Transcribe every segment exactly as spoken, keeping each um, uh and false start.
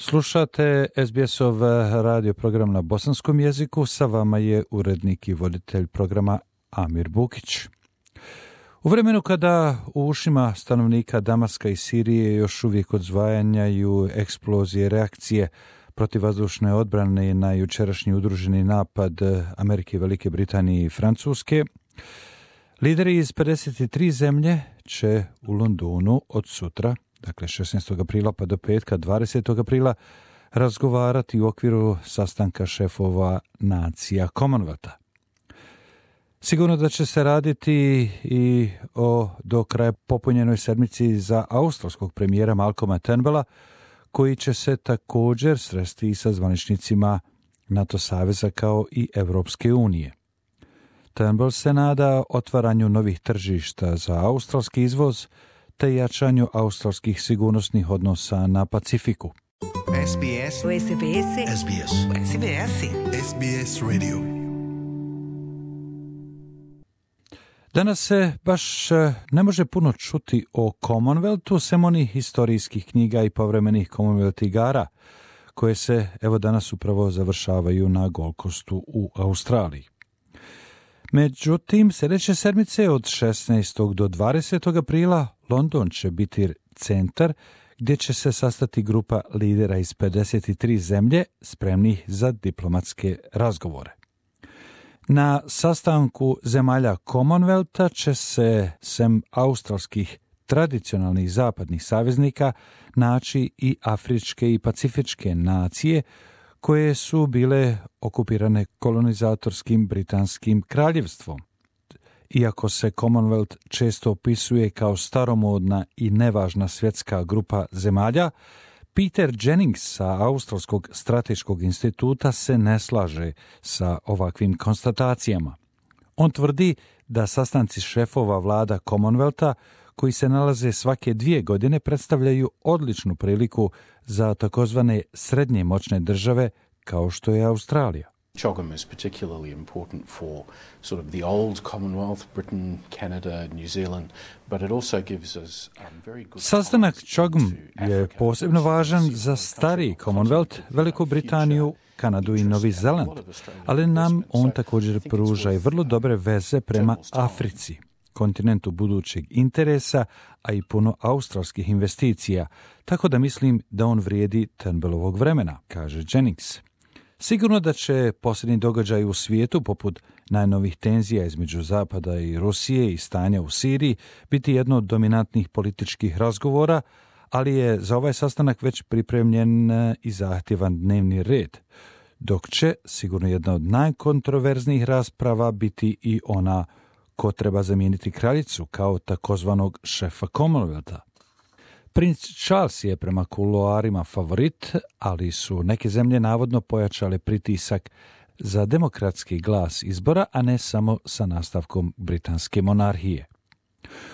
Slušate S B S-ov radio program na bosanskom jeziku, sa vama je urednik i voditelj programa Amir Bukić. U vremenu kada u ušima stanovnika Damaska i Sirije još uvijek odzvajanjaju eksplozije reakcije protivvazdušne odbrane na jučerašnji udruženi napad Amerike, Velike Britanije i Francuske, lideri iz pedeset tri zemlje će u Londonu od sutra, dakle šesnaestog aprila pa do petka dvadesetog aprila, razgovarati u okviru sastanka šefova nacija Commonwealtha. Sigurno da će se raditi i o do kraja popunjenoj sedmici za australskog premijera Malcolma Turnbulla, koji će se također sresti i sa zvaničnicima NATO saveza kao i Evropske unije. Turnbull se nada otvaranju novih tržišta za australski izvoz te jačanju australskih sigurnosnih odnosa na Pacifiku. S B S. S B S. S B S. S B S. S B S Radio. Danas se baš ne može puno čuti o Commonwealthu, sem onih historijskih knjiga i povremenih Commonwealth igara, koje se evo danas upravo završavaju na Gold Coastu u Australiji. Međutim, sljedeće sedmice od šesnaestog do dvadesetog aprila London će biti centar gdje će se sastati grupa lidera iz pedeset tri zemlje spremnih za diplomatske razgovore. Na sastanku zemalja Commonwealtha će se, sem australskih tradicionalnih zapadnih saveznika, naći i afričke i pacifičke nacije koje su bile okupirane kolonizatorskim britanskim kraljevstvom. Iako se Commonwealth često opisuje kao staromodna i nevažna svjetska grupa zemalja, Peter Jennings sa Australskog strateškog instituta se ne slaže sa ovakvim konstatacijama. On tvrdi da sastanci šefova vlada Commonwealtha, koji se nalaze svake dvije godine, predstavljaju odličnu priliku za takozvane srednje moćne države kao što je Australija. C H O G M is particularly important for sort of the old Commonwealth, Britain, Canada, New Zealand, but it also gives us um, very good... Sastanak C H O G M je posebno važan za stari Commonwealth, Veliku Britaniju, Kanadu i Novi Zeland, ali nam on također pruža i vrlo dobre veze prema Africi, kontinentu budućeg interesa, a i puno australskih investicija, tako da mislim da on vrijedi Turnbullovog vremena, kaže Jennings. Sigurno da će posljednji događaj u svijetu, poput najnovih tenzija između Zapada i Rusije i stanja u Siriji, biti jedno od dominantnih političkih razgovora, ali je za ovaj sastanak već pripremljen i zahtjevan dnevni red, dok će sigurno jedna od najkontroverznijih rasprava biti i ona ko treba zamijeniti kraljicu kao takozvanog šefa Commonwealtha. Princ Charles je prema kuloarima favorit, ali su neke zemlje navodno pojačale pritisak za demokratski glas izbora, a ne samo sa nastavkom britanske monarhije.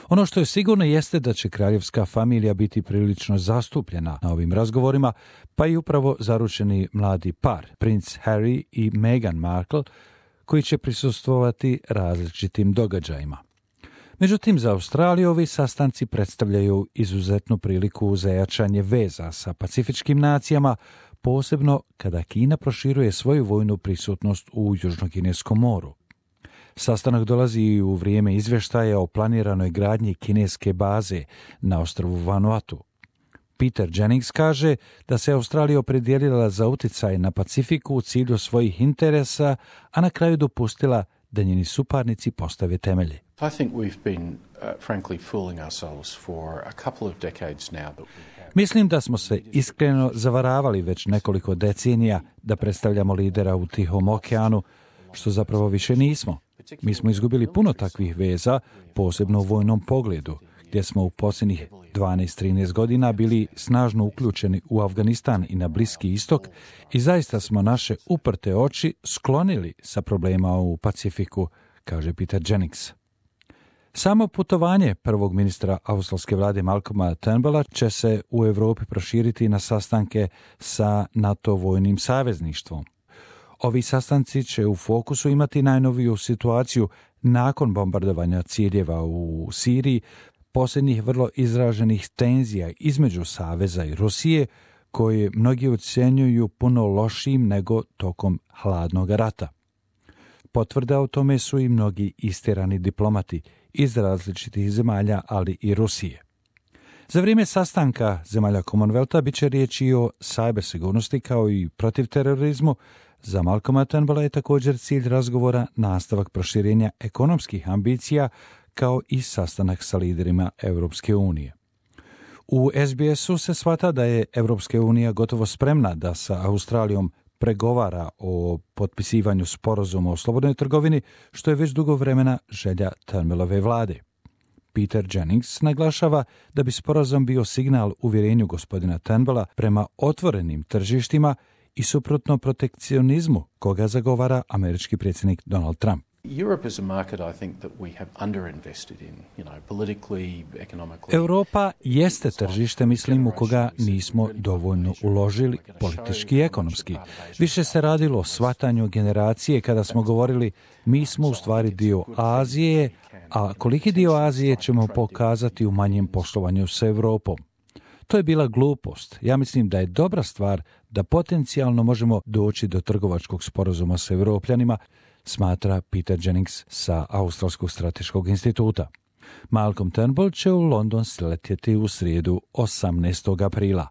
Ono što je sigurno jeste da će kraljevska familija biti prilično zastupljena na ovim razgovorima, pa i upravo zaručeni mladi par, princ Harry i Meghan Markle, koji će prisustvovati različitim događajima. Međutim, za Australiju ovi sastanci predstavljaju izuzetnu priliku za jačanje veza sa pacifičkim nacijama, posebno kada Kina proširuje svoju vojnu prisutnost u Južnokineskom moru. Sastanak dolazi u vrijeme izvještaja o planiranoj gradnji kineske baze na ostrvu Vanuatu. Peter Jennings kaže da se Australija opredijelila za utjecaj na Pacifiku u cilju svojih interesa, a na kraju dopustila da njeni suparnici postave temelje. I think we've been uh, frankly fooling ourselves for a couple of decades now that we have. Mislim da smo se iskreno zavaravali već nekoliko decenija da predstavljamo lidera u Tihom okeanu, što zapravo više nismo. Mi smo izgubili puno takvih veza, posebno u vojnom pogledu, gdje smo u posljednjih dvanaest trinaest godina bili snažno uključeni u Afganistan i na Bliski istok i zaista smo naše uprte oči sklonili sa problema u Pacifiku, kaže Peter Jennings. Samo putovanje prvog ministra australske vlade Malcolma Turnbulla će se u Europi proširiti na sastanke sa NATO vojnim savezništvom. Ovi sastanci će u fokusu imati najnoviju situaciju nakon bombardovanja ciljeva u Siriji, posljednjih vrlo izraženih tenzija između Saveza i Rusije, koje mnogi ocjenjuju puno lošijim nego tokom hladnog rata. Potvrda o tome su i mnogi istjerani diplomati iz različitih zemalja, ali i Rusije. Za vrijeme sastanka zemalja Commonwealtha bit će riječi o cyber sigurnosti kao i protiv terorizmu. Za Malcolma Turnbulla je također cilj razgovora nastavak proširenja ekonomskih ambicija kao i sastanak sa liderima Europske unije. U S B S-u se shvata da je Europska unija gotovo spremna da sa Australijom pregovara o potpisivanju sporazuma o slobodnoj trgovini, što je već dugo vremena želja Turnbullove vlade. Peter Jennings naglašava da bi sporazum bio signal uvjerenju gospodina Turnbulla prema otvorenim tržištima i suprotno protekcionizmu koga zagovara američki predsjednik Donald Trump. Europe is a market I think that we have underinvested in, you know, politically, economically. Europa jeste tržište, mislim, u koga nismo dovoljno uložili politički i ekonomski. Više se radilo o shvatanju generacije kada smo govorili mi smo u stvari dio Azije, a koliki dio Azije ćemo pokazati u manjem poslovanju s Europom. To je bila glupost. Ja mislim da je dobra stvar da potencijalno možemo doći do trgovačkog sporazuma s Europljanima, smatra Peter Jennings sa Australskog strateškog instituta. Malcolm Turnbull će u London sletjeti u srijedu osamnaestog aprila.